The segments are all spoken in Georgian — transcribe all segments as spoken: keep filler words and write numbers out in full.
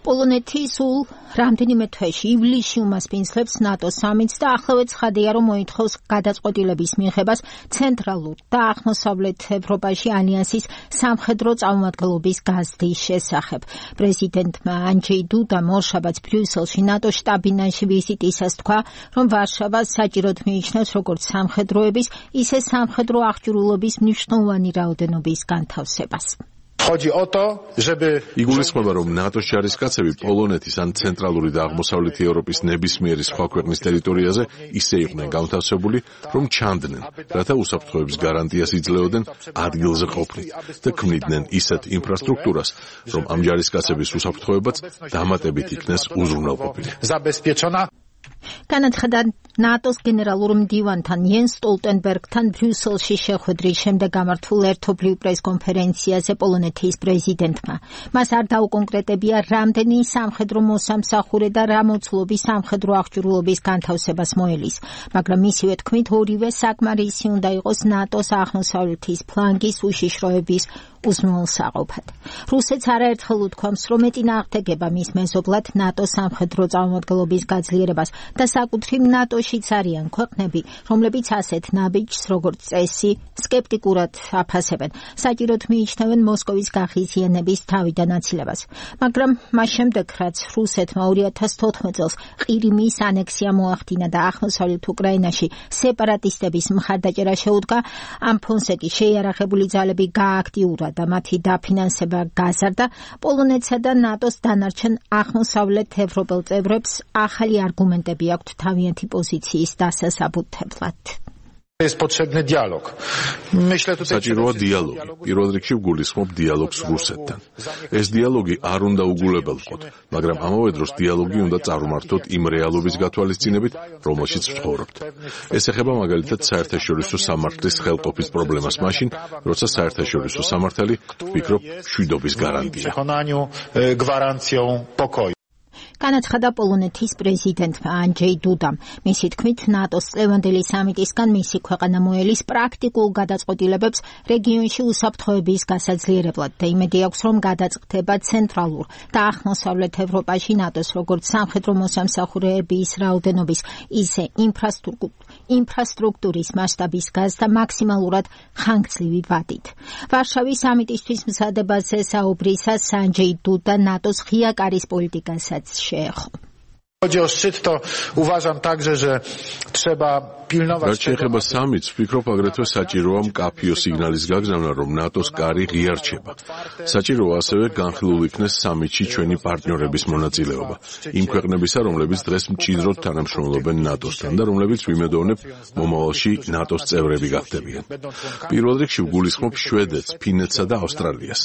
პოლონეთი სულ რამდენიმე თვეში ივლისში უმასპინძლებს ნატოს სამიტს და ახლავე ცხადია, რომ მოითხოვს გადაწყვეტილების მიღებას ცენტრალურ და აღმოსავლეთ ევროპაში ალიანსის სამხედრო წარმომადგენლობის გაზრდის შესახებ. პრეზიდენტმა ანჯეი დუდამ ორშაბათს ბრიუსელში ნატოს შტაბ-ბინაში ვიზიტისას თქვა, რომ ვარშავა საჭიროდ მიიჩნევს როგორც სამხედროების, ისე სამხედრო აღჭურვილობის მნიშვნელოვანი რაოდენობის განთავსებას. იგულისხმება, რომ ნატოს ჯარისკაცები პოლონეთის ან ცენტრალური და აღმოსავლეთი ევროპის ნებისმიერი სხვა ქვეყნის ტერიტორიაზე ისე იყვნენ განთავსებული, რომ ჩანდნენ, რათა უსაფრთხოების გარანტიას იძლეოდნენ ადგილზე ყოფნით და ქმნიდნენ ისეთ ინფრასტრუქტურას, რომ ამ ჯარისკაცების უსაფრთხოებაც დამატებით იქნეს უზრუნველყოფილი. განაცხადა ნატოს გენერალურ მდივანთან იენს სტოლტენბერგთან ბრიუსელში შეხვედრის შემდეგ გამართულ ერთობლივ პრესკონფერენციაზე პოლონეთის პრეზიდენტმა. მას არ დაუკონკრეტებია, რამდენი სამხედრო მოსამსახურე და რა მოცულობის სამხედრო აღჭურვილობის განთავსებას მოელის, მაგრამ მისივე თქმით, ორივე საკმარისი უნდა იყოს ნატოს აღმოსავლეთის ფლანგის უშიშროების უზრუნველსაყოფად. რუსეთს არაერთხელ უთქვამს, რომ ეწინააღმდეგება მის მეზობლად ნატოს სამხედრო წარმომადგენლობის გაძლიერებას და საკუთრივ ნატოშიც არიან ქვეყნები, რომლებიც ასეთ ნაბიჯს, როგორც წესი, სკეპტიკურად აფასებენ. საჭიროდ მიიჩნევენ მოსკოვის გაღიზიანების თავიდან აცილებას. მაგრამ მას შემდეგ, რაც რუსეთმა ორი ათას თოთხმეტ წელს ყირიმის ანექსია მოახდინა და აღმოსავლეთ უკრაინაში სეპარატისტების მხარდაჭერა შეუდგა, ამ ფონზე კი შეიარაღებული ძალები გააქტიურა და მათი დაფინანსება გაზარდა, პოლონეთსა და ნატოს დანარჩენ აღმოსავლეთ ევროპელ წევრებს ახალი არგუმენტები აქვთ თავიანთი პოზიციის დასასაბუთებლად. საჭიროა დიალოგი. პირველ რიგში ვგულისხმობ დიალოგს რუსეთთან. ეს დიალოგი არ უნდა უგულებელყოთ, მაგრამ ამავე დროს დიალოგი უნდა წარმართოთ იმ რეალობის გათვალისწინებით, რომელშიც ვცხოვრობთ. ეს ეხება მაგალითად საერთაშორისო სამართლის ხელყოფის პრობლემას მაშინ, როცა საერთაშორისო სამართალი ვფიქრობ მშვიდობის გარანტია. განაცხადა პოლონეთის პრეზიდენტმა ანჯეი დუდამ. მისი თქმით, ნატოს წლევანდელი სამიტისგან მისი ქვეყანა მოელის პრაქტიკულ გადაწყვეტილებებს რეგიონში უსაფრთხოების გასაძლიერებლად და იმედი აქვს, რომ გადაწყდება ცენტრალურ და აღმოსავლეთ ევროპაში ნატოს როგორც სამხედრო მოსამსახურეების რაოდენობის, ისე ინფრასტრუქტურის მასშტაბის გაზრდა მაქსიმალურად ხანგრძლივი ვადით. ვარშავის სამიტისთვის მზადებაზე საუბრისას ანჯეი დუდა ნატოს ღია კარის პოლიტიკასაც შეეხო. რაც შეეხება სამიტს, ვფიქრობ აგრეთვე საჭიროა მკაფიო სიგნალის გაგზავნა, რომ ნატოს კარი ღია რჩება. საჭიროა ასევე განხილულ იქნეს სამიტში ჩვენი პარტნიორების მონაწილეობა, იმ ქვეყნებისა, რომლებიც დღეს მჭიდროდ თანამშრომლობენ ნატოსთან და რომლებიც ვიმედოვნებ მომავალში ნატოს წევრები გახდებიან. პირველ რიგში ვგულისხმობ შვედეთს, ფინეთსა და ავსტრალიას.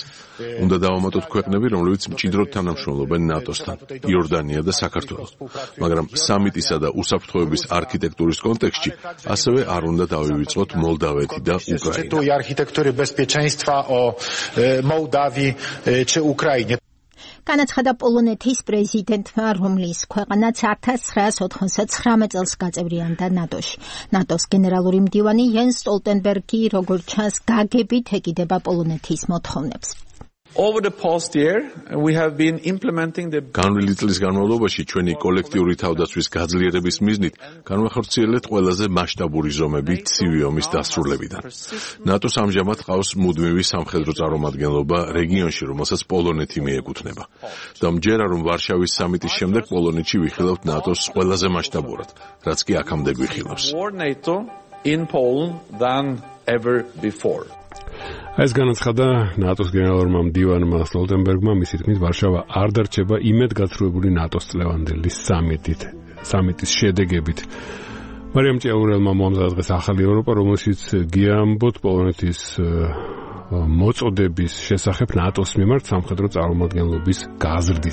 უნდა დავამატოთ ქვეყნები, რომლებიც მჭიდროდ თანამშრომლობენ ნატოსთან, იორდანია და საქართველო. მაგრამ სამიტისა და უსაფრთხოების არქიტექტურის კონტექსტში ასევე არ უნდა დავივიწყოთ მოლდავეთი და უკრაინა. განაცხადა პოლონეთის პრეზიდენტმა, რომლის ქვეყანაც ათას ცხრაას ოთხმოცდათცხრამეტ წელს გაწევრიანდა ნატოში. ნატოს გენერალური მდივანი იენს სტოლტენბერგი, როგორც ჩანს, გაგებით ეკიდება პოლონეთის მოთხოვნებს. განვლილი წლის განმავლობაში ჩვენი კოლექტიური თავდაცვის გაძლიერების მიზნით განვახორციელეთ ყველაზე მასშტაბური ზომები ცივი ომის დასრულებიდან. ნატოს ამჟამად ყავს მუდმივი სამხედრო წარმომადგენლობა რეგიონში, რომელსაც პოლონეთი მიეკუთვნება. და მჯერა, რომ ვარშავის სამიტის შემდეგ პოლონეთში ვიხილავთ ნატოს ყველაზე მასშტაბურად, რაც კი აქამდე გვიხილავს. ეს განაცხადა ნატოს გენერალურმა მდივანმა სტოლტენბერგმა, მისი თქმით, ვარშავა არ დარჩება იმედგაცრუებული ნატოს წლევანდელი სამიტით, სამიტის შედეგებით. მარიამ ჭიაურელმა მოამზადა დღეს ახალი ევროპა, რომელშიც გიამბოთ პოლონეთის მოწოდების შესახებ ნატოს მიმართ სამხედრო წარმომადგენლობის გაზრდის